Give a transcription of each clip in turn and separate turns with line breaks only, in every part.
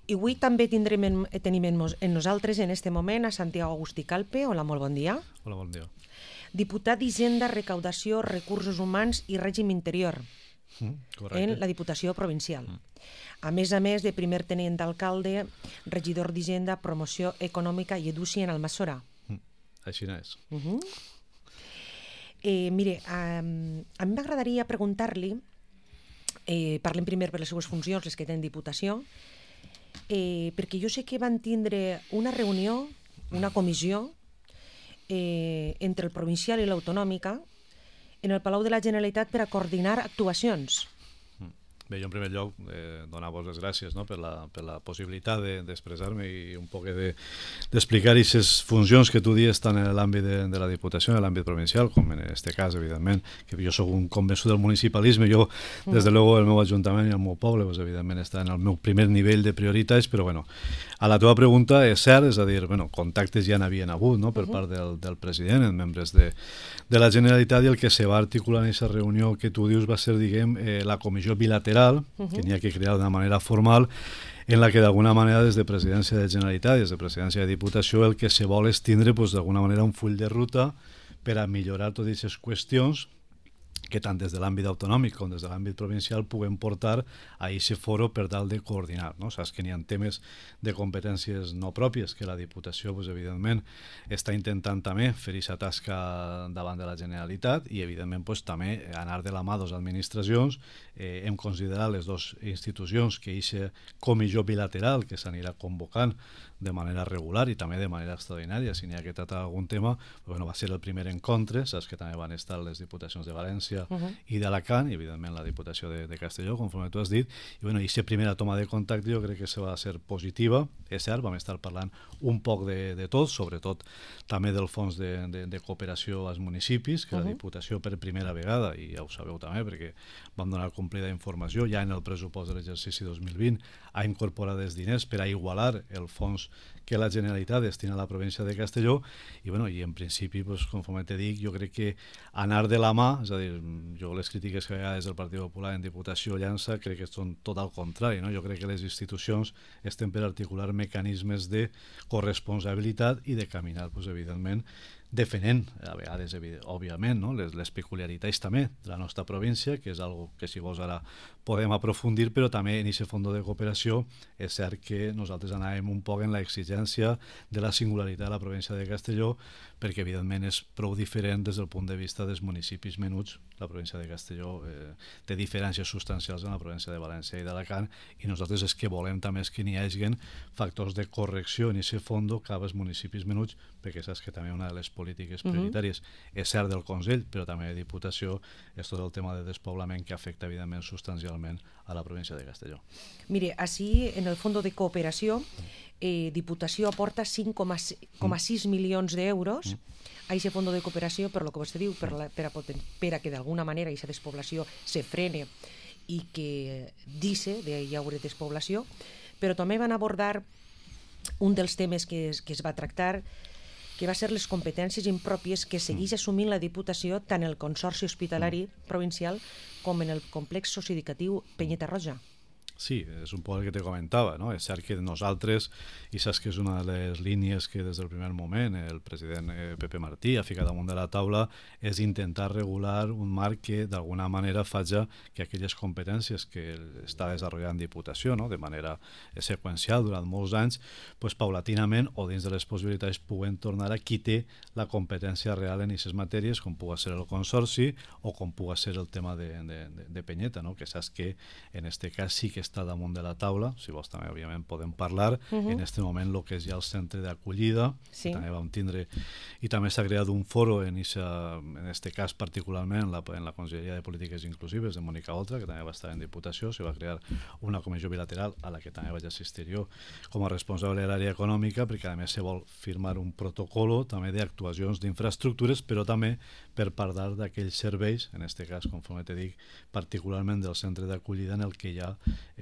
I avui també tenim en nosaltres en este moment a Santiago Agustí Calpe. Hola, molt bon dia.
Hola, bon dia.
Diputat d'Hisenda, Recaudació, Recursos Humans i Règim Interior en la Diputació Provincial. A més de primer tenent d'alcalde, regidor d'Hisenda, Promoció Econòmica i Edúcia en Almassora.
Així és.
Mire, a mi m'agradaria preguntar-li, parlem primer per les seues funcions, les que té en Diputació, perquè jo sé que van tindre una reunió, una comissió, entre el provincial i l'autonòmica en el Palau de la Generalitat per a coordinar actuacions.
Bé, jo en primer lloc donar-vos les gràcies, no?, per la possibilitat d'expressar-me i un poc d'explicar aquestes funcions que tu dius tant en l'àmbit de la Diputació, en l'àmbit provincial, com en aquest cas, evidentment, que jo soc un convençut del municipalisme. Jo, des de luego, el meu ajuntament i el meu poble, pues, evidentment, està en el meu primer nivell de prioritats, però, bueno, a la teva pregunta és cert, és a dir, bueno, contactes ja n'havien hagut, no?, per part del president, en membres de la Generalitat, i el que se va articular en aquesta reunió que tu dius va ser, diguem, la comissió bilateral, que n'hi ha que crear d'una manera formal, en la que d'alguna manera des de Presidència de Generalitat i des de Presidència de Diputació el que se vol és tindre d'alguna manera un full de ruta per a millorar totes aquestes qüestions que tant des de l'àmbit autonòmic com des de l'àmbit provincial puguem portar a aquest foro per tal de coordinar, no? Saps que n'hi ha temes de competències no pròpies que la Diputació, pues, evidentment, està intentant també fer aquesta tasca davant de la Generalitat i, evidentment, pues, també anar de la mà de les administracions. Hem considerat les dues institucions que aquesta comissió bilateral que s'anirà convocant de manera regular i també de manera extraordinària, si n'hi ha que tractar algun tema, bueno, va ser el primer encontre, saps que també van estar les diputacions de València i d'Alacant, i evidentment la Diputació de Castelló, conforme tu has dit, i bueno, aquesta primera toma de contacte jo crec que se va ser positiva, és cert, vam estar parlant un poc de tot, sobretot també del fons de cooperació als municipis, que la Diputació per primera vegada, i ja ho sabeu també perquè vam donar complida informació, ja en el pressupost de l'exercici 2020 ha incorporat els diners per a igualar el fons que la Generalitat destina a la província de Castelló i, bueno, i en principi, pues, conforme te dic, jo crec que anar de la mà, és a dir, jo les crítiques que hi ha des del Partit Popular en Diputació llança crec que són tot al contrari, no? Jo crec que les institucions estem per articular mecanismes de corresponsabilitat i de caminar, pues, evidentment, defenent, a vegades, òbviament, no?, les peculiaritats també de la nostra província, que és algo que, si vols, ara podem aprofundir, però també en aquest fons de cooperació és cert que nosaltres anàvem un poc en l'exigència de la singularitat de la província de Castelló, perquè, evidentment, és prou diferent des del punt de vista dels municipis menuts. La província de Castelló té diferències substancials en la província de València i d'Alacant, i nosaltres és que volem també que n'hi hagi factors de correcció en aquest fons cap als municipis menuts, perquè saps que també una de les polítiques prioritàries és cert del Consell, però també de Diputació, és tot el tema de despoblament que afecta, evidentment, substancialment a la província de Castelló.
Mire, així, en el fons de cooperació, Diputació aporta 5,6 milions d'euros a aquest fons de cooperació, per lo que vostè diu, per a que d'alguna manera aquesta despoblació se frene i que dice hi haurà despoblació, però també van abordar un dels temes que es va tractar, que va ser les competències impròpies que segueix assumint la Diputació tant el Consorci Hospitalari Provincial com en el complex socioeducatiu Penyeta Roja.
Sí, és un poc el que te comentava, no? És cert que nosaltres, i saps que és una de les línies que des del primer moment el president Pepe Martí ha ficat damunt de la taula, és intentar regular un marc que d'alguna manera faci que aquelles competències que està desenvolupant Diputació, no?, de manera seqüencial durant molts anys, pues, paulatinament o dins de les possibilitats puguen tornar a qui té la competència real en aquestes matèries, com pugui ser el Consorci o com pugui ser el tema de Penyeta, no?, que saps que en aquest cas sí que està damunt de la taula, si vols també òbviament podem parlar, en aquest moment el que és ja el centre d'acollida, que també vam tindre, i també s'ha creat un foro en aquest cas particularment en la Conselleria de Polítiques Inclusives de Mònica Oltra, que també va estar en Diputació, se va crear una comissió bilateral a la que també vaig assistir jo com a responsable de l'àrea econòmica, perquè a més se vol firmar un protocolo també d'actuacions d'infraestructures, però també per parlar d'aquells serveis, en aquest cas, conforme te dic, particularment del centre d'acollida, en el que ja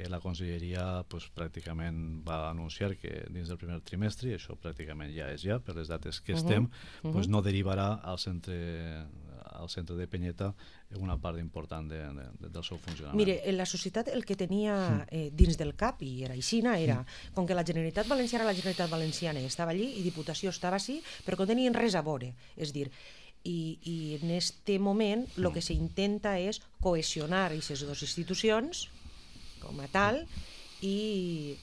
la Conselleria pues, pràcticament va anunciar que dins del primer trimestre, i això pràcticament ja és per les dates que estem, pues, no derivarà al centre al centre de Penyeta una part important del seu funcionament.
Mire, la societat el que tenia dins del cap, i era aixina, era com que la Generalitat Valenciana era la Generalitat Valenciana i estava allí, i Diputació estava així, però que no tenien res a veure. És dir, i en este moment el que s'intenta és cohesionar aquestes dues institucions com a tal, i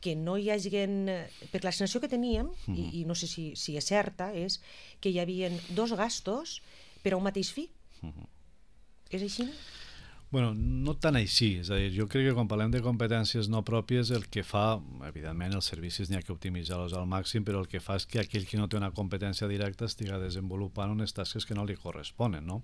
que no hi hagi... Perquè la sensació que teníem, i no sé si és certa, és que hi havia dos gastos per a un mateix fi. És així?
Bueno, no tan així, és a dir, jo crec que quan parlem de competències no pròpies el que fa, evidentment els servicis n'hi ha que optimitzar-los al màxim, però el que fa és que aquell que no té una competència directa estiga desenvolupant unes tasques que no li corresponen, no?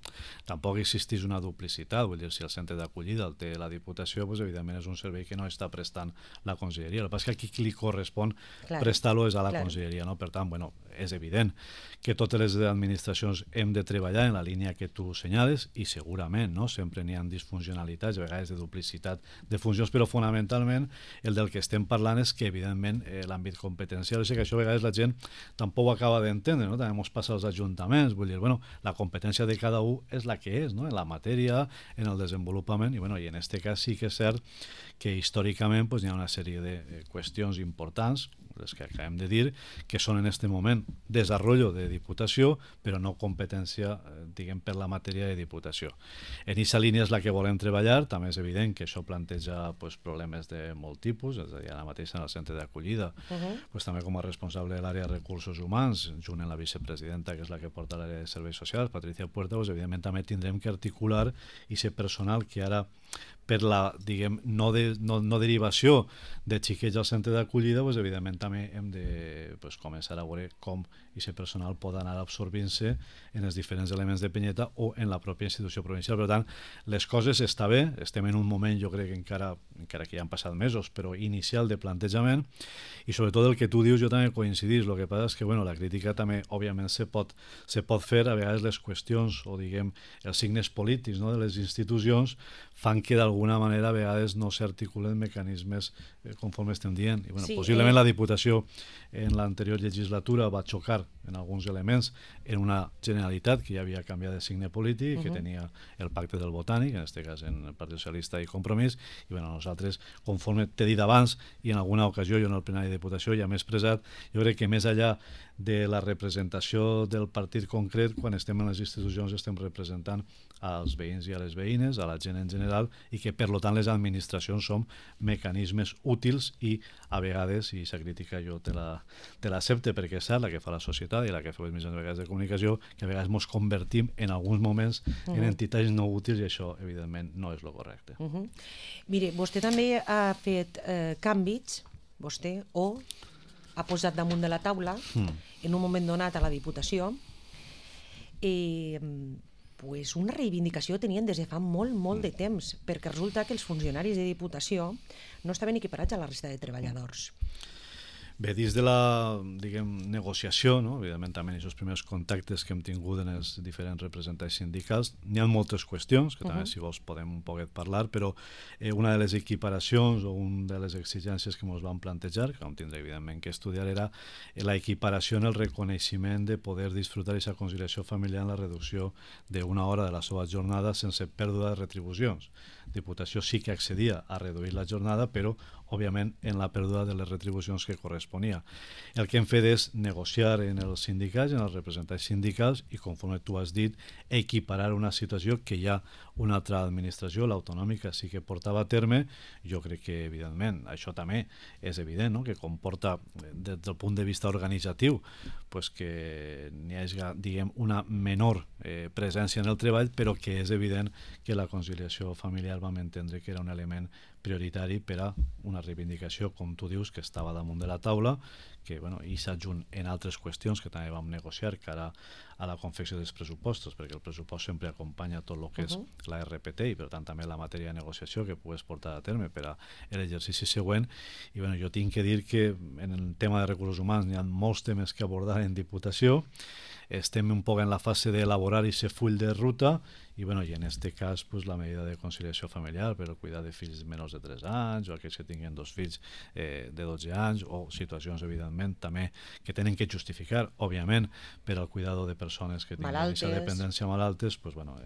Tampoc existeix una duplicitat, vull dir, si el centre d'acollida el té la Diputació, doncs evidentment és un servei que no està prestant la Conselleria. El que passa és que a qui li correspon prestar-lo és a la Conselleria, no? Per tant, bueno, és evident que totes les administracions hem de treballar en la línia que tu senyales i segurament, no? Sempre n'hi ha disfuncionalitats, a vegades de duplicitat de funcions, però fonamentalment el del que estem parlant és que evidentment l'àmbit competencial, és que això a vegades la gent tampoc ho acaba d'entendre, no? També ens passa als ajuntaments, vull dir, bueno, la competència de cada un és la que és, no? En la matèria, en el desenvolupament, i bueno, i en este cas sí que és cert que històricament pues, hi ha una sèrie de qüestions importants, les que acabem de dir, que són en este moment desenvolupament de Diputació, però no competència, diguem, per la matèria de Diputació. En aquesta línia és la que volem treballar, també és evident que això planteja pues, problemes de molt tipus, és a dir, ara mateix en el centre d'acollida, pues, també com a responsable de l'àrea de recursos humans, junt amb la vicepresidenta, que és la que porta l'àrea de serveis socials, Patricia Puerta, pues, evidentment també tindrem que articular i ser personal que ara per la, diguem, no derivació de xiquets al centre d'acollida, pues, evidentment també hem de pues, començar a veure com aquest personal pot anar absorbint-se en els diferents elements de Penyeta o en la pròpia institució provincial. Per tant, les coses està bé, estem en un moment, jo crec que encara que ja han passat mesos, però inicial de plantejament, i sobretot el que tu dius jo també coincidís. El que passa és que bueno, la crítica també, òbviament, se pot fer, a vegades les qüestions o, diguem, els signes polítics, no, de les institucions fan que d'alguna manera a vegades no s'articulen mecanismes conforme estem dient. I, bueno, sí, possiblement la Diputació en l'anterior legislatura va xocar en alguns elements en una Generalitat que ja havia canviat de signe polític, que tenia el pacte del Botànic, en aquest cas en el Partit Socialista i Compromís, i bueno, nosaltres, conforme t'he dit abans, i en alguna ocasió jo en el plenari de Diputació ja m'he expressat, jo crec que més enllà de la representació del partit concret, quan estem en les institucions estem representant als veïns i a les veïnes, a la gent en general, i que per tant les administracions som mecanismes útils i a vegades, i aquesta crítica jo te l'accepte perquè és cert, la que fa la societat i la que fa les mitjans de vegades de comunicació, que a vegades ens convertim en alguns moments en entitats no útils, i això evidentment no és el correcte.
Mire, vostè també ha fet canvis, vostè, o ha posat damunt de la taula en un moment donat a la Diputació pues una reivindicació tenien des de fa molt de temps, perquè resulta que els funcionaris de Diputació no estaven equiparats a la resta de treballadors.
Bé, dins de la, diguem, negociació, no? Evidentment també en aquests primers contactes que hem tingut en els diferents representants sindicals, n'hi ha moltes qüestions, que també si vols podem un poquet parlar, però una de les equiparacions o una de les exigències que ens van plantejar, que vam tindre evidentment que estudiar, era la equiparació en el reconeixement de poder disfrutar aquesta conciliació familiar en la reducció d'una hora de la seva jornada sense pèrdua de retribucions. Diputació sí que accedia a reduir la jornada, però òbviament en la pèrdua de les retribucions que corresponia. El que hem fet és negociar en els sindicats, en els representants sindicals, i conforme tu has dit, equiparar una situació que ja una altra administració, l'autonòmica, sí que portava a terme. Jo crec que, evidentment, això també és evident, no? Que comporta, des del punt de vista organitzatiu, pues que n'hi hagi, diguem, una menor presència en el treball, però que és evident que la conciliació familiar vam entendre que era un element prioritari per a una reivindicació, com tu dius, que estava damunt de la taula, que bueno, i s'adjunt en altres qüestions que també vam negociar cara a la confecció dels pressupostos, perquè el pressupost sempre acompanya tot el que és la RPT i per tant també la matèria de negociació que pugues portar a terme per a l'exercici següent. I bueno, jo tinc que dir que en el tema de recursos humans hi ha molts temes que abordar en Diputació. Estem un poc en la fase d'elaborar aquest full de ruta i, bueno, i en aquest cas pues, la medida de conciliació familiar per al cuidar de fills menors de 3 anys, o aquells que tinguin 2 fills de 12 anys, o situacions, evidentment, també que tenen que justificar, òbviament, per al cuidado de persones que tinguin aquesta dependència malaltes, pues, bueno,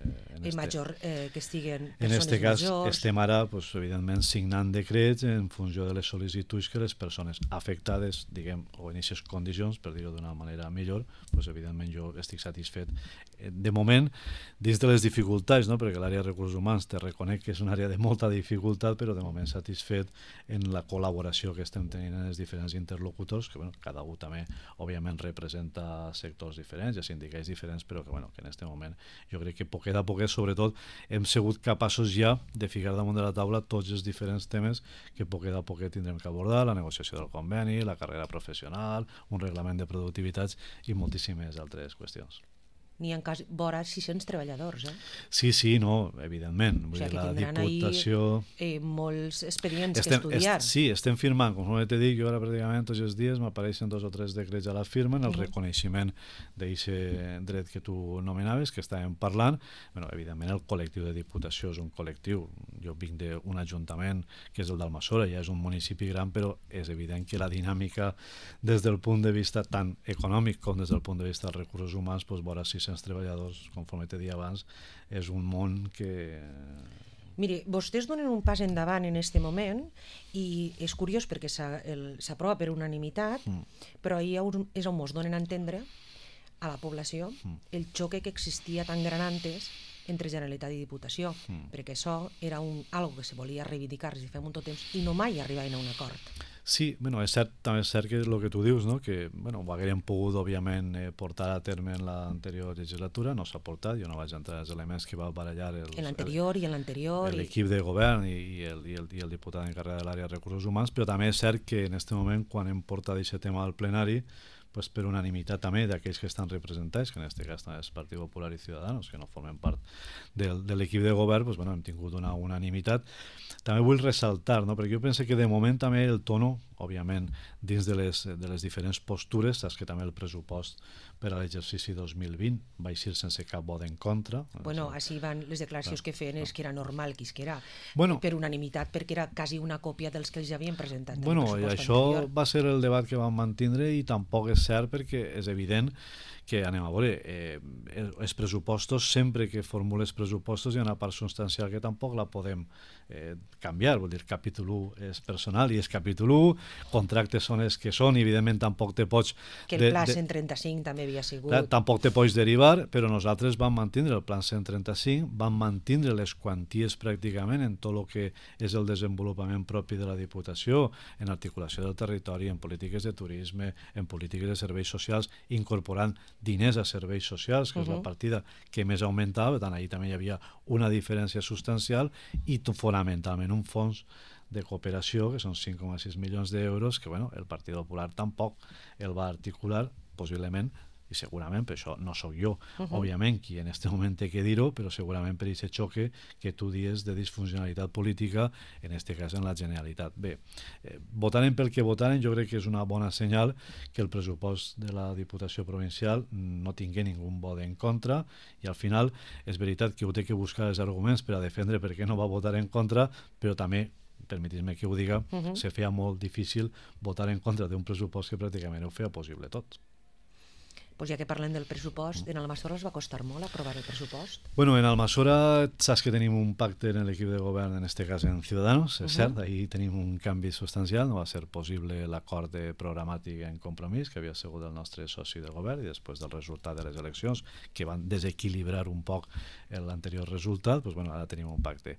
que estiguen
en
persones
este cas
majors.
estem ara, pues, evidentment, signant decrets en funció de les sol·licituds que les persones afectades, diguem, o en aquestes condicions, per dir-ho d'una manera millor, pues, evidentment jo estic satisfet. De moment, dins de les dificultats, no? Perquè l'àrea de recursos humans te reconec que és una àrea de molta dificultat, però de moment satisfet en la col·laboració que estem tenint en els diferents interlocutors, que bueno, cada un també òbviament representa sectors diferents i sindicats diferents, però que, bueno, que en aquest moment jo crec que poquet a poquet, sobretot, hem sigut capaços ja de ficar damunt de la taula tots els diferents temes que poquet a poquet tindrem que abordar, la negociació del conveni, la carrera professional, un reglament de productivitats i moltíssimes altres qüestions.
N'hi ha vora 600 treballadors, eh?
Sí, no, evidentment.
O sigui que
la
tindran
Diputació...
molts expedients que estudiar.
Sí, estem firmant, com te dic, jo ara pràcticament tots els dies m'apareixen 2 o 3 decrets a la firma en el reconeixement d'aquest dret que tu nomenaves, que estàvem parlant. Bueno, evidentment el col·lectiu de Diputació és un col·lectiu, jo vinc d'un ajuntament que és el d'Almassora, ja és un municipi gran, però és evident que la dinàmica des del punt de vista tant econòmic com des del punt de vista dels recursos humans, doncs vora 600 treballadors, conforme te dia abans, és un món que...
Mire, vostès donen un pas endavant en aquest moment i és curiós perquè s'aprova per unanimitat, però ahir és on ens donen a entendre a la població el xoque que existia tan gran antes entre Generalitat i Diputació, perquè això era algo que se volia reivindicar des de fa molt temps i no mai arribaven a un acord.
Sí, bueno, és cert, també és cert que el que tu dius, no? Que bueno, ho haguérem pogut, òbviament, portar a terme en l'anterior legislatura, no s'ha portat, jo no vaig entrar als elements que va barallar
en l'anterior
l'equip de govern i el diputat encarregat de l'àrea de recursos humans, però també és cert que en aquest moment, quan hem portat aquest tema al plenari, pues per unanimitat també d'aquells que estan representats, que en aquest cas també és Partit Popular i Ciudadanos, que no formen part de l'equip de govern, pues, bueno, hem tingut una unanimitat. També vull ressaltar, no? Perquè jo penso que de moment també el tono, òbviament, dins de les diferents postures, saps que també el pressupost per a l'exercici 2020 va eixir sense cap vot en contra.
Bueno, així van les declaracions que feien és que era normal que era per unanimitat, perquè era quasi una còpia dels que ells havien presentat.
Bueno, i això va ser el debat que vam mantindre i tampoc és cert perquè és evident que, anem a veure, els pressupostos, sempre que formules pressupostos hi ha una part substancial que tampoc la podem canviar, vol dir, capítol 1 és personal i és capítol 1, contractes són els que són i evidentment tampoc te pots...
Que el pla 135 també havia sigut...
Tampoc te pots derivar, però nosaltres vam mantindre el pla 135, vam mantindre les quanties pràcticament en tot el que és el desenvolupament propi de la Diputació, en articulació del territori, en polítiques de turisme, en polítiques de serveis socials, incorporant diners a serveis socials, que és la partida que més augmentava, per tant, ahir també hi havia una diferència substancial i fonamentalment un fons de cooperació, que són 5,6 milions d'euros, que bueno, el Partit Popular tampoc el va articular, possiblement, i segurament, per això no sóc jo, òbviament, qui en aquest moment té que dir-ho, però segurament per aquest xoque que tu dius de disfuncionalitat política, en aquest cas en la Generalitat. Bé, votaren pel que votaren, jo crec que és una bona senyal que el pressupost de la Diputació Provincial no tingui ningú vot en contra, i al final és veritat que ho té que buscar els arguments per a defendre per què no va votar en contra, però també permetis-me que ho diga, se feia molt difícil votar en contra d'un pressupost que pràcticament ho feia possible tot.
Pues ja que parlem del pressupost, en Almassora els va costar molt aprovar el pressupost?
Bueno, en Almassora saps que tenim un pacte en l'equip de govern, en aquest cas en Ciudadanos, és cert, ahir tenim un canvi substancial, no va ser possible l'acord programàtic en Compromís, que havia sigut el nostre soci de govern, i després del resultat de les eleccions, que van desequilibrar un poc l'anterior resultat, doncs bueno, ara tenim un pacte.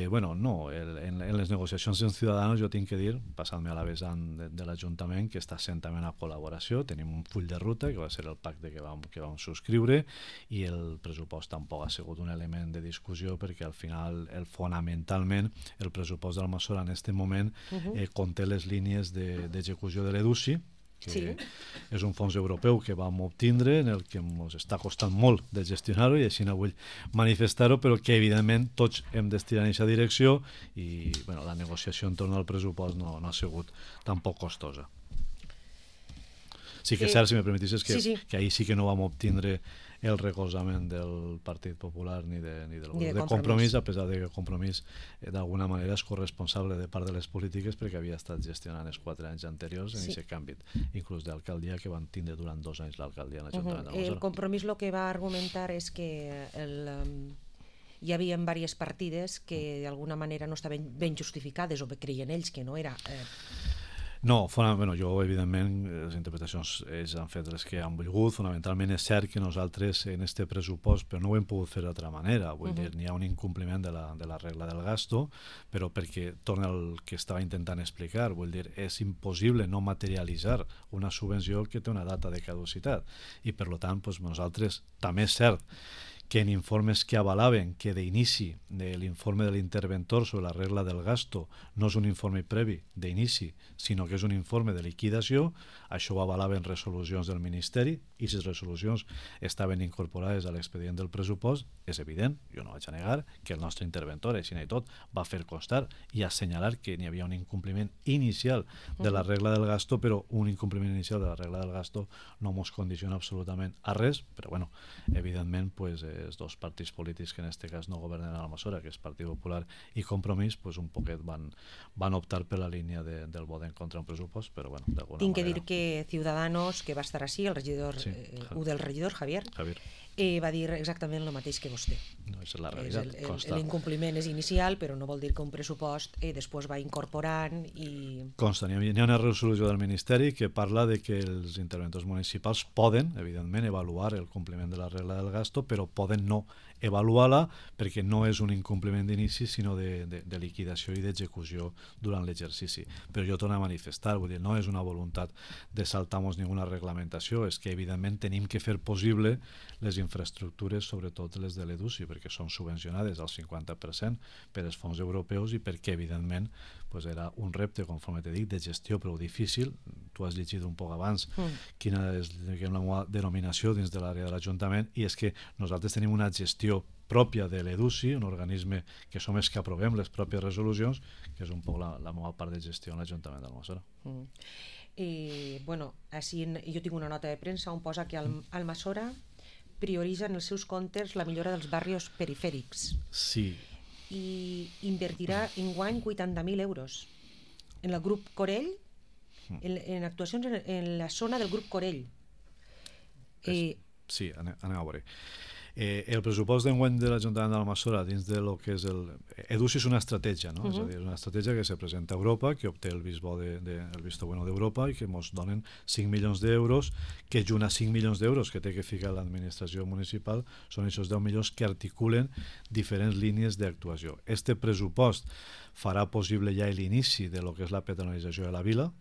Bueno, no, en les negociacions en Ciudadanos jo tinc que dir, passant-me a la vessant de l'Ajuntament, que està sent també una col·laboració, tenim un full de ruta, que va ser el pacte que vam subscriure, i el pressupost tampoc ha sigut un element de discussió, perquè al final, fonamentalment, el pressupost d'Almassora en aquest moment conté les línies d'execució de l'EDUSI, que és un fons europeu que vam obtindre, en el que ens està costant molt de gestionar-ho, i així no vull manifestar-ho, però que evidentment tots hem d'estirar en aquesta direcció, i bueno, la negociació entorn al pressupost no ha sigut tampoc costosa. Sí que és cert, si me permetissis, que ahir sí que no vam obtindre el recolzament del Partit Popular ni del grup de Compromís, a pesar de que Compromís d'alguna manera és corresponsable de part de les polítiques perquè havia estat gestionant els 4 anys anteriors en aquest canvi, inclús d'alcaldia, que van tindre durant 2 anys l'alcaldia en l'Ajuntament de Almassora.
El Compromís el que va argumentar és que hi havia diverses partides que d'alguna manera no estaven ben justificades o creien ells que no era...
No, jo evidentment les interpretacions ells han fet les que han volgut. Fonamentalment és cert que nosaltres en este pressupost, però no ho hem pogut fer d'altra manera, vull dir, n'hi ha un incompliment de la regla del gasto, però perquè torna al que estava intentant explicar, vull dir, és impossible no materialitzar una subvenció que té una data de caducitat i per tant nosaltres també és cert que en informes que avalaven que d'inici de l'informe de l'interventor sobre la regla del gasto no és un informe previ d'inici, sinó que és un informe de liquidació, això ho avalaven resolucions del Ministeri i si les resolucions estaven incorporades a l'expedient del pressupost, és evident, jo no vaig a negar, que el nostre interventor, així i tot, va fer constar i assenyalar que n'hi havia un incompliment inicial de la regla del gasto, però un incompliment inicial de la regla del gasto no ens condiciona absolutament a res, però bueno, evidentment, els dos partits polítics que en aquest cas no governen a Almassora, que és Partit Popular i Compromís, un poquet van optar per la línia del vot en contra d'un pressupost, però bueno, d'alguna manera...
Tinc que dir que Ciudadanos, que va estar així, el regidor, del regidor, Javier, va dir exactament el mateix que vostè.
No, és la realitat,
l'incompliment és inicial, però no vol dir que un pressupost després va incorporant i...
Consta, hi ha una resolució del Ministeri que parla de que els interventors municipals poden, evidentment, avaluar el compliment de la regla del gasto, però poden no avaluar-la perquè no és un incompliment d'inici sinó de liquidació i d'execució durant l'exercici. Però jo torno a manifestar, vull dir, no és una voluntat de saltar-nos ninguna reglamentació, és que evidentment tenim que fer possible les infraestructures, sobretot les de l'EDUSI, perquè són subvencionades al 50% per els fons europeus i perquè evidentment era un repte, conforme t'he dit, de gestió prou difícil. Tu has llegit un poc abans quina és la denominació dins de l'àrea de l'Ajuntament i és que nosaltres tenim una gestió pròpia de l'EDUSI, un organisme que som els que aprovem les pròpies resolucions, que és un poc la meva part de gestió en l'Ajuntament d'Almassora.
Així jo tinc una nota de premsa on posa que Almassora prioritza en els seus comptes la millora dels barris perifèrics.
Sí.
I invertirà enguany 80.000 euros en el grup Corell, en actuacions en la zona del grup Corell.
Sí, anem a veure. El pressupost d'enguany de l'Ajuntament d'Almassora dins de lo que és el... EDUSI és una estratègia, no? És a dir, és una estratègia que se presenta a Europa, que obté el visto bueno d'Europa i que ens donen 5 milions d'euros, que junt a 5 milions d'euros que té que ficar l'administració municipal són aquests 10 milions que articulen diferents línies d'actuació. Este pressupost farà possible ja l'inici de lo que és la peatonalització de la vila,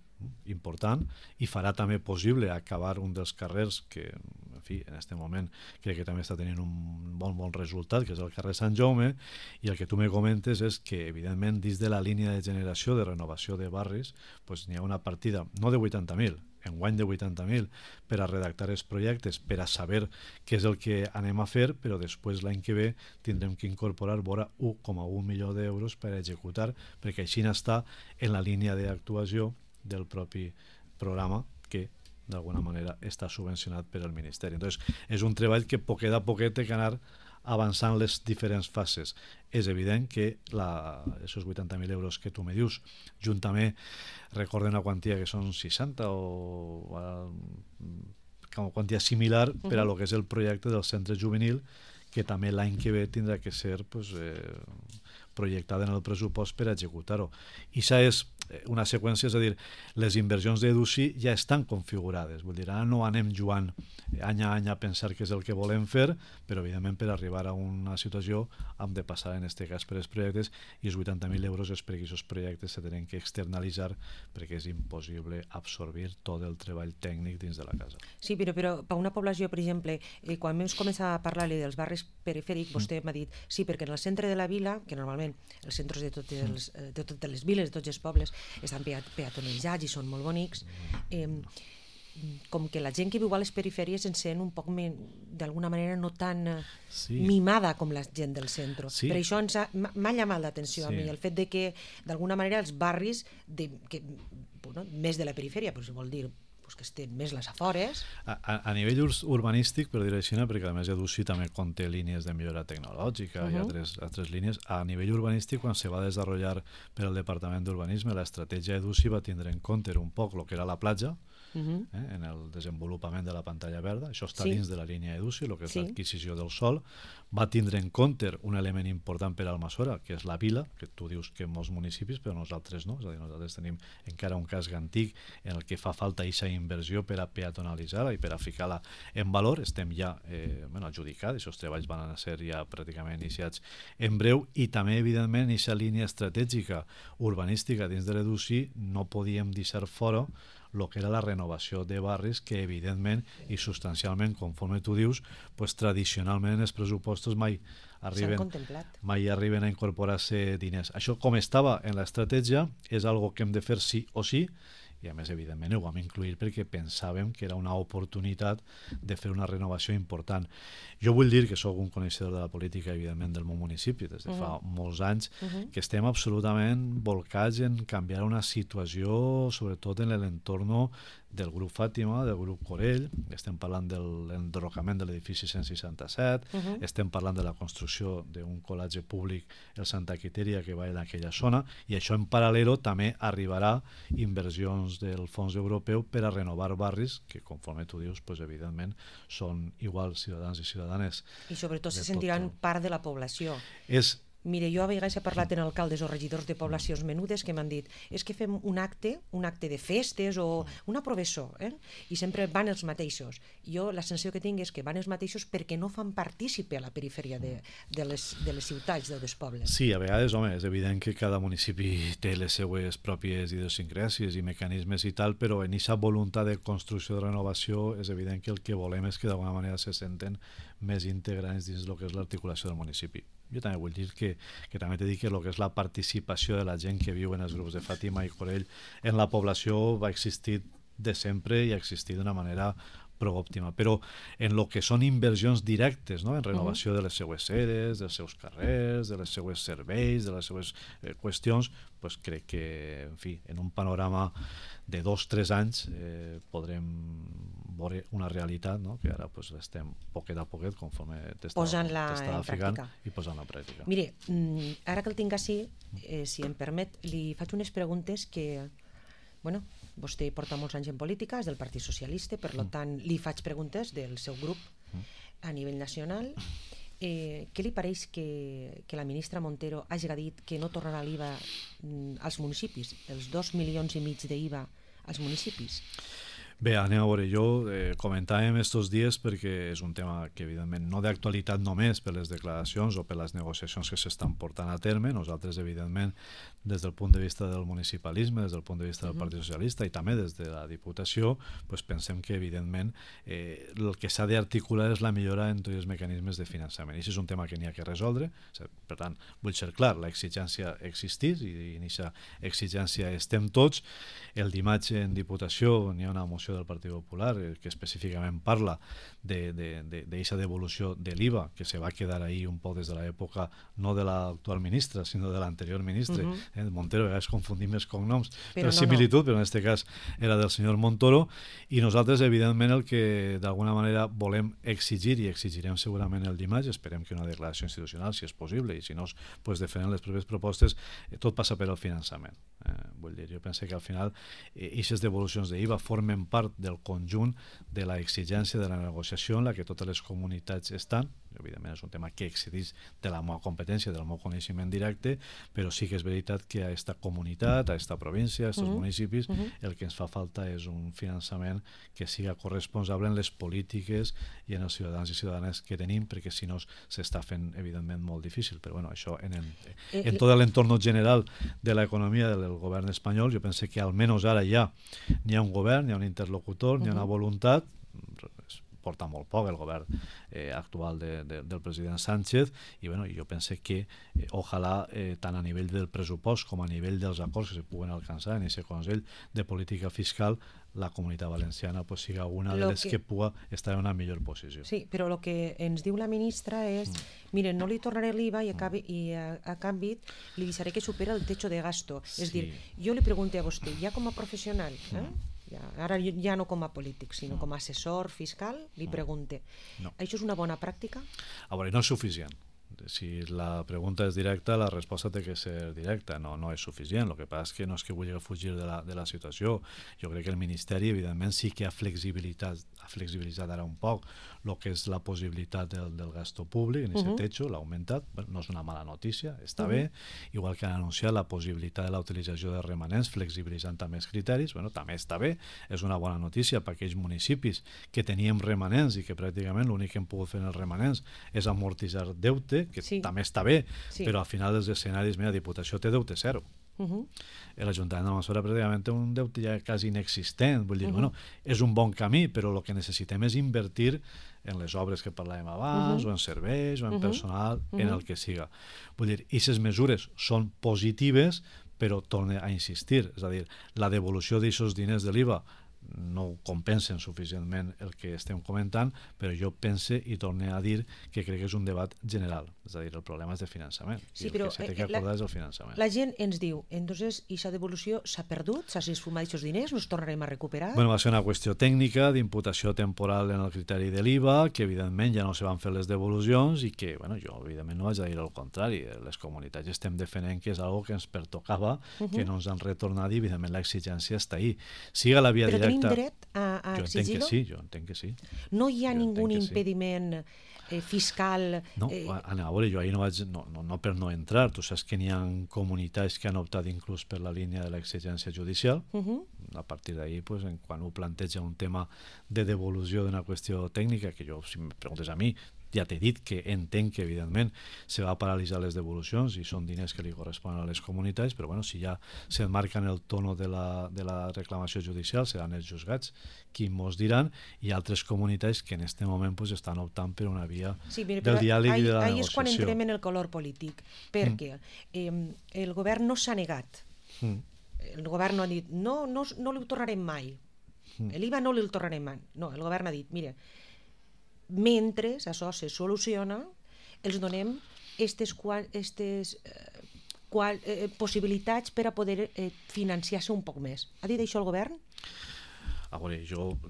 important, i farà també possible acabar un dels carrers que, en fi, en aquest moment crec que també està tenint un bon resultat, que és el carrer Sant Jaume, i el que tu me comentes és que, evidentment, dins de la línia de generació de renovació de barris, n'hi ha una partida, no de 80.000, enguany de 80.000 per a redactar els projectes, per a saber què és el que anem a fer, però després l'any que ve tindrem que incorporar vora 1,1 milió d'euros per a executar, perquè així està en la línia d'actuació del propi programa que d'alguna manera està subvencionat per al Ministeri. Entonces, és un treball que poquet a poquet té que anar avançant les diferents fases. És evident que aquests 80.000 euros que tu me dius, juntament recorden una quantia que són 60 o una quantia similar per a lo que és el projecte del centre juvenil, que també l'any que ve tindrà que ser projectada en el pressupost per executar-ho. I això és una seqüència, és a dir, les inversions d'EDUSI ja estan configurades, vull dir, ara no anem jugant any a any a pensar què és el que volem fer, però evidentment per arribar a una situació hem de passar en aquest cas per els projectes i els 80.000 euros és perquè aquests projectes se tenen que externalitzar perquè és impossible absorbir tot el treball tècnic dins de la casa.
Sí, però per una població, per exemple, quan vam començar a parlar-li dels barris perifèrics, vostè m'ha dit, sí, perquè en el centre de la vila, que normalment els centres de totes les viles, de tots els pobles, estan peatonalitzats i són molt bonics, com que la gent que viu a les perifèries en sent un poc d'alguna manera no tan mimada com la gent del centre. Per això m'ha llamat l'atenció a mi el fet de que d'alguna manera els barris més de la perifèria, però si vol dir que estem més les afores.
A nivell urbanístic, per dir-ho així, perquè a més EDUSI també conté línies de millora tecnològica i altres línies, a nivell urbanístic, quan se va desenvolupar per al Departament d'Urbanisme, l'estratègia EDUSI va tindre en compte un poc el que era la platja, en el desenvolupament de la pantalla verda. Això està dins de la línia EDUSI, el que és l'adquisició del sòl. Va tindre en compte un element important per a Almassora, que és la vila, que tu dius que en molts municipis, però nosaltres no. És a dir, nosaltres tenim encara un casc antic en el que fa falta aquesta inversió per a peatonalitzar-la i per a ficar-la en valor. Estem ja adjudicats, aquests treballs van a ser ja pràcticament iniciats en breu, i també, evidentment, aquesta línia estratègica urbanística dins de l'EDUSI no podíem deixar fora el que era la renovació de barris, que evidentment i substancialment, conforme tu dius, pues, tradicionalment els pressupostos mai arriben a incorporar-se diners. Això, com estava en l'estratègia, és algo que hem de fer sí o sí, i a més, evidentment, ho vam incluir perquè pensàvem que era una oportunitat de fer una renovació important. Jo vull dir que sóc un coneixedor de la política, evidentment, del meu municipi, des de fa molts anys, que estem absolutament volcats en canviar una situació, sobretot en l'entorn del grup Fàtima, del grup Corell. Estem parlant de l'enderrocament de l'edifici 167, estem parlant de la construcció d'un col·legi públic, el Santa Quiteria, que va en aquella zona, i això en paral·lel també arribarà inversions del fons europeu per a renovar barris que, conforme tu dius, pues, evidentment són iguals ciutadans i ciutadanes.
I sobretot se sentiran part de la població. Mire, jo a vegades he parlat amb alcaldes o regidors de poblacions menudes que m'han dit és que fem un acte de festes o una professó, i sempre van els mateixos. Jo la sensació que tinc és que van els mateixos perquè no fan partícipe a la perifèria de les ciutats, dels pobles.
Sí, a vegades, home, és evident que cada municipi té les seues pròpies idiosincràsies i mecanismes i tal, però en aquesta voluntat de construcció de renovació és evident que el que volem és que d'alguna manera se senten més integrants dins del que és l'articulació del municipi. Jo també vull dir que també t'he dit que el que és la participació de la gent que viu en els grups de Fàtima i Corell en la població va existir de sempre i ha existit d'una manera prou òptima, però en el que són inversions directes, en renovació de les seues sedes, dels seus carrers, de les seues serveis, de les seues qüestions, pues crec que, en fi, en un panorama de 2-3 anys podrem veure una realitat, que ara pues, estem poquet a poquet, conforme t'estava ficant, i posant-la en pràctica.
Mire, ara que el tinc així, si em permet, li faig unes preguntes que, bueno, vostè porta molts anys en política, és del Partit Socialista, per tant, li faig preguntes del seu grup a nivell nacional. Què li pareix que la ministra Montero hagi dit que no tornarà l'IVA als municipis, els 2,5 milions d'IVA als municipis?
Bé, anem a veure, jo comentàvem estos dies perquè és un tema que evidentment no d'actualitat només per les declaracions o per les negociacions que s'estan portant a terme. Nosaltres evidentment des del punt de vista del municipalisme, des del punt de vista del Partit Socialista i també des de la Diputació, pues pensem que evidentment el que s'ha d'articular és la millora en tots els mecanismes de finançament. I això és un tema que n'hi ha que resoldre. Per tant, vull ser clar, l'exigència existeix i en aquesta exigència estem tots. El dimarts en Diputació n'hi ha una moció del Partit Popular que específicament parla d'aquesta devolució de l'IVA que se va quedar ahí un poc des de l'època no de l'actual ministra sinó de l'anterior ministre, Montero, a vegades confundim els cognoms per similitud, però en aquest cas era del senyor Montoro, i nosaltres evidentment el que d'alguna manera volem exigir i exigirem segurament el dimarts, esperem que una declaració institucional si és possible i si no pues defenen les properes propostes, tot passa per al finançament. Vull dir, jo penso que al final aquestes devolucions d'IVA formen part del conjunt de la exigència de la negociació en la que totes les comunitats estan. Evidentment és un tema que excedeix de la meva competència, del meu coneixement directe, però sí que és veritat que a aquesta comunitat, a aquesta província, a aquests municipis, el que ens fa falta és un finançament que siga corresponsable en les polítiques i en els ciutadans i ciutadanes que tenim, perquè si no s'està fent evidentment molt difícil. Però bueno, això en tot l'entorn general de l'economia del govern espanyol, jo penso que almenys ara ja n'hi ha un govern, n'hi ha un interlocutor, n'hi ha una voluntat. Porta molt poc el govern actual del president Sánchez i bueno, jo penso que ojalà tant a nivell del pressupost com a nivell dels acords que se puguen alcançar en aquest Consell de Política Fiscal la Comunitat Valenciana pues, siga una de les que pugui estar en una millor posició.
Sí, però el que ens diu la ministra és miren, no li tornaré l'IVA i a canvi li deixaré que supera el techo de gasto. És dir, jo li pregunto a vostè, ja com a professional, ara ja no com a polític, sinó com a assessor fiscal, li pregunte, això és una bona pràctica?
A veure, no és suficient. Si la pregunta és directa, la resposta té que ser directa. No és suficient. El que passa és que no és que vulgui fugir de la situació. Jo crec que el Ministeri, evidentment, sí que ha flexibilitzat ara un poc el que és la possibilitat del gasto públic, en aquest techo, l'ha augmentat. No és una mala notícia, està bé. Igual que han anunciat la possibilitat de la utilització de remanents, flexibilitzant també els criteris, també està bé. És una bona notícia per aquells municipis que teníem remanents i que pràcticament l'únic que hem pogut fer en els remanents és amortitzar deute, que també està bé, però al final dels escenaris, mira, Diputació té deute zero. L'Ajuntament d'Almassora pràcticament té un deute ja quasi inexistent. Vull dir, és un bon camí, però el que necessitem és invertir en les obres que parlàvem abans, o en serveis, o en personal, en el que siga. Vull dir, aquestes mesures són positives, però torne a insistir, és a dir, la devolució d'aquests diners de l'IVA no compensen suficientment el que estem comentant, però jo pense i torne a dir que crec que és un debat general, és a dir, el problema és de finançament, i el que s'ha de acordar és el finançament.
La gent ens diu, entonces, aquesta devolució s'ha perdut, s'ha esfumat aquests diners, no els tornarem a recuperar?
Bueno, va ser una qüestió tècnica d'imputació temporal en el criteri de l'IVA, que evidentment ja no se van fer les devolucions i que, bueno, jo evidentment no vaig a dir el contrari, les comunitats estem defendent que és algo que ens pertocava, que no ens han retornat i evidentment l'exigència està ahí. Siga la via directa.
Tenim dret a exigir-ho?
Jo entenc que sí.
No hi ha ningun impediment fiscal?
No, a veure, jo ahir no vaig, no per no entrar, tu saps que n'hi ha comunitats que han optat inclús per la línia de l'exigència judicial, a partir d'ahir, quan ho planteja un tema de devolució d'una qüestió tècnica, que jo, si em preguntes a mi, ja t'he dit que entenc que evidentment se va paralitzar les devolucions i són diners que li corresponen a les comunitats, però bueno, si ja s'emmarca en el tono de la reclamació judicial, seran els juzgats qui mos diran, i altres comunitats que en aquest moment estan optant per una via del diàleg i de la negociació.
Ahí és quan entrem en el color polític, perquè el govern no s'ha negat. El govern no ha dit no li tornarem mai, l'IVA no li tornarem mai. No, el govern ha dit, mira, mentre això se soluciona, els donem aquestes possibilitats per a poder financiar-se un poc més. Ha dit això el govern?
A veure,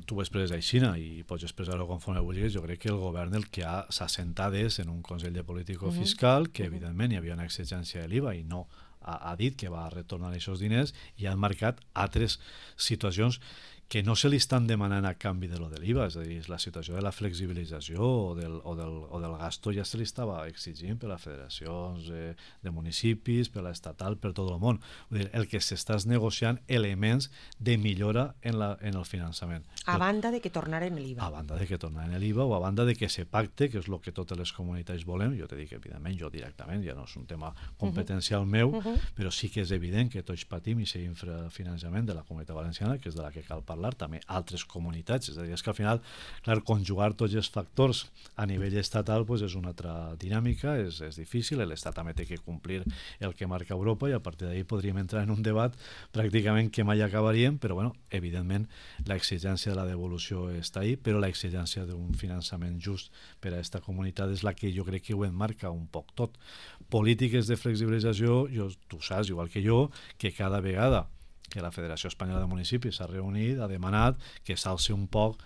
tu ho expresses així i pots expressar-ho conforme vulguis. Jo crec que el govern el que s'ha assentat és en un Consell de Política Fiscal, que evidentment hi havia una exigència de l'IVA i no ha dit que va retornar aquests diners, i ha marcat altres situacions que no se li estan demanant a canvi de lo de l'IVA, és a dir, la situació de la flexibilització o del gasto ja se li estava exigint per les federacions de municipis, per l'estatal, per tot el món. Vull dir, el que s'està negociant elements de millora en el finançament.
A banda de que tornaren l'IVA.
A banda de que tornaren l'IVA o a banda de que se pacte, que és el que totes les comunitats volem. Jo te dic, evidentment, jo directament, ja no és un tema competencial meu, però sí que és evident que tots patim i aquest infrafinançament de la Comunitat Valenciana, que és de la que cal parlar, també altres comunitats, és a dir, és que al final, clar, conjugar tots els factors a nivell estatal és una altra dinàmica, és difícil, l'Estat també té que complir el que marca Europa i a partir d'ahir podríem entrar en un debat pràcticament que mai acabaríem, però bueno, evidentment l'exigència de la devolució està ahí, però l'exigència d'un finançament just per a aquesta comunitat és la que jo crec que ho enmarca un poc tot. Polítiques de flexibilització, tu saps, igual que jo, que cada vegada que la Federació Espanyola de Municipis s'ha reunit, ha demanat que s'alci un poc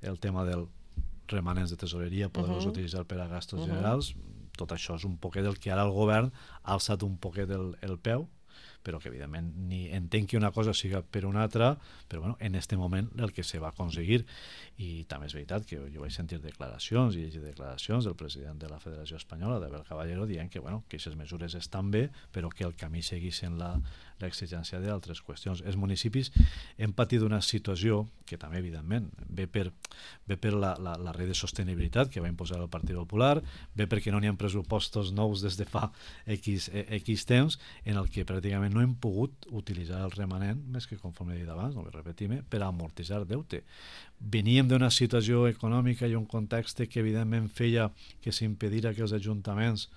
el tema dels remanents de tesoreria, poder-los utilitzar per a gastos generals. Tot això és un poquet del que ara el govern ha alçat un poquet el peu, però que evidentment ni entenc que una cosa siga per una altra, però bueno, en aquest moment el que se va aconseguir. I també és veritat que jo vaig sentir declaracions i llegir declaracions del president de la Federació Espanyola, d'Abel Caballero, dient que aquestes mesures estan bé, però que el camí seguís en l'exigència d'altres qüestions. Els municipis hem patit una situació que també, evidentment, ve per la rei de sostenibilitat que va imposar el Partit Popular, ve perquè no n'hi ha pressupostos nous des de fa X temps, en el que pràcticament no hem pogut utilitzar el remanent, més que conforme he dit abans, no vull repetir-me, per amortitzar deute. Veníem d'una situació econòmica i un context que evidentment feia que s'impedira que els ajuntaments,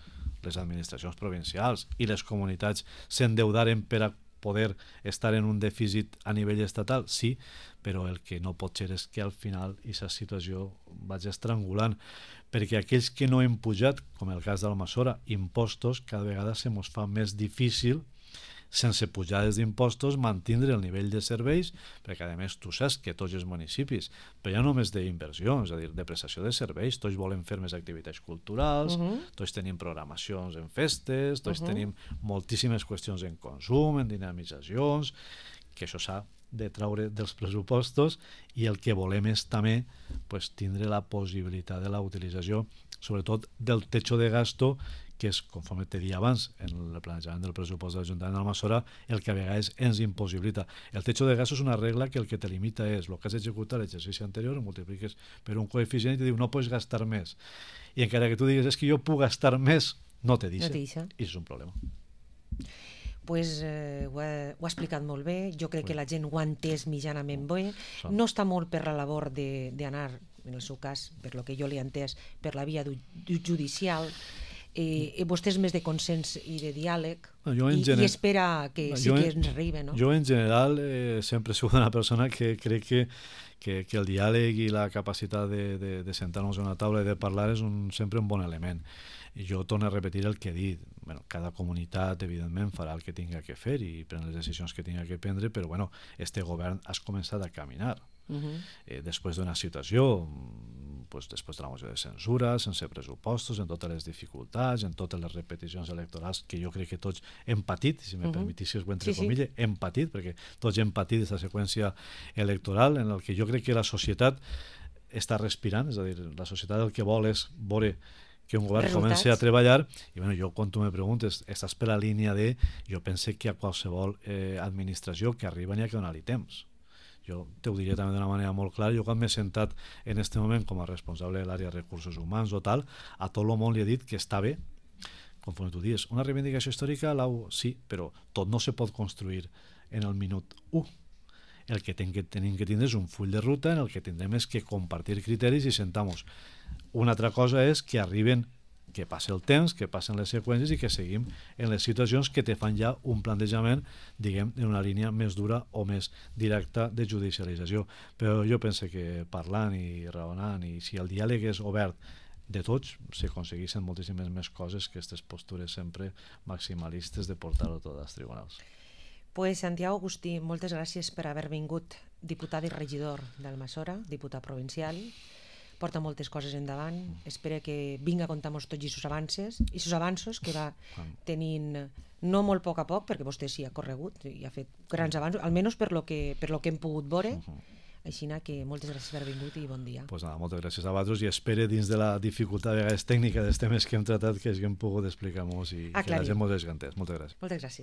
les administracions provincials i les comunitats s'endeudaren per a poder estar en un dèficit a nivell estatal, sí, però el que no pot ser és que al final aquesta situació vaig estrangulant, perquè aquells que no hem pujat, com el cas d'Almassora, impostos, cada vegada se mos fa més difícil sense pujades d'impostos, mantindre el nivell de serveis, perquè a més tu saps que tots els municipis, però ja només d'inversió, és a dir, de prestació de serveis, tots volen fer més activitats culturals, tots tenim programacions en festes, tots tenim moltíssimes qüestions en consum, en dinamitzacions, que això s'ha de treure dels pressupostos, i el que volem és també pues, tindre la possibilitat de la utilització, sobretot del techo de gasto, que és, conforme te dia abans, en el planejament del pressupost de l'Ajuntament d'Almassora, el que a vegades ens impossibilita. El techo de gasto és una regla que el que te limita és el que has executat l'exercici anterior, ho multipliques per un coeficient i te diu no pots gastar més. I encara que tu digues és que jo puc gastar més, no te deixa. I això és un problema.
Pues, ho ha explicat molt bé, jo crec que la gent ho ha entès mitjanament bé, no està molt per la labor d'anar, en el seu cas, per lo que jo li he entès, per la via judicial, vostè és més de consens i de diàleg i espera que sí que ens arribi, no?
Jo en general sempre he sigut una persona que crec que el diàleg i la capacitat de sentar-nos a una taula i de parlar és sempre un bon element. I jo torno a repetir el que he dit. Bueno, cada comunitat, evidentment, farà el que tinga que fer i pren les decisions que tinga que prendre, però bueno, este govern has començat a caminar. Després d'una situació, pues, després de la moció de censura, sense pressupostos, en totes les dificultats, en totes les repeticions electorals que jo crec que tots hem patit, si me permetissis entre comilles, hem patit, perquè tots hem patit aquesta seqüència electoral en el que jo crec que la societat està respirant, és a dir, la societat el que vol és veure que un govern comenci a treballar, i bueno, jo quan tu me preguntes, estàs per la línia de, jo pense que a qualsevol administració que arriba n'hi ha que donar-li temps. Jo te ho diria també d'una manera molt clara, jo quan m'he sentat en aquest moment com a responsable de l'àrea de recursos humans o tal, a tot el món li he dit que està bé, conforme tu dius, una reivindicació històrica, sí, però tot no se pot construir en el minut 1. El que tenim que tindre és un full de ruta en el que tindrem és que compartir criteris i sentar-nos. Una altra cosa és que arriben, que passi el temps, que passen les seqüències i que seguim en les situacions que te fan ja un plantejament, diguem, en una línia més dura o més directa de judicialització. Però jo penso que parlant i raonant, i si el diàleg és obert de tots, s'aconsegueixen moltíssimes més coses que aquestes postures sempre maximalistes de portar-ho tot als tribunals.
Pues Santiago Agustí, moltes gràcies per haver vingut, diputat i regidor d'Almassora, diputat provincial. Porta moltes coses endavant, espero que vinga a contar-nos tots aquests avanços que va tenint no molt a poc, perquè vostè sí ha corregut i ha fet grans avanços, almenys per lo que hem pogut veure. Així que moltes gràcies per haver vingut i bon dia.
Pues nada, moltes gràcies a vosaltres i espero dins de la dificultat de vegades tècnica dels temes que hem tratat que haguem pogut explicar-nos i que la gent mos desgantés. Moltes gràcies.
Moltes gràcies.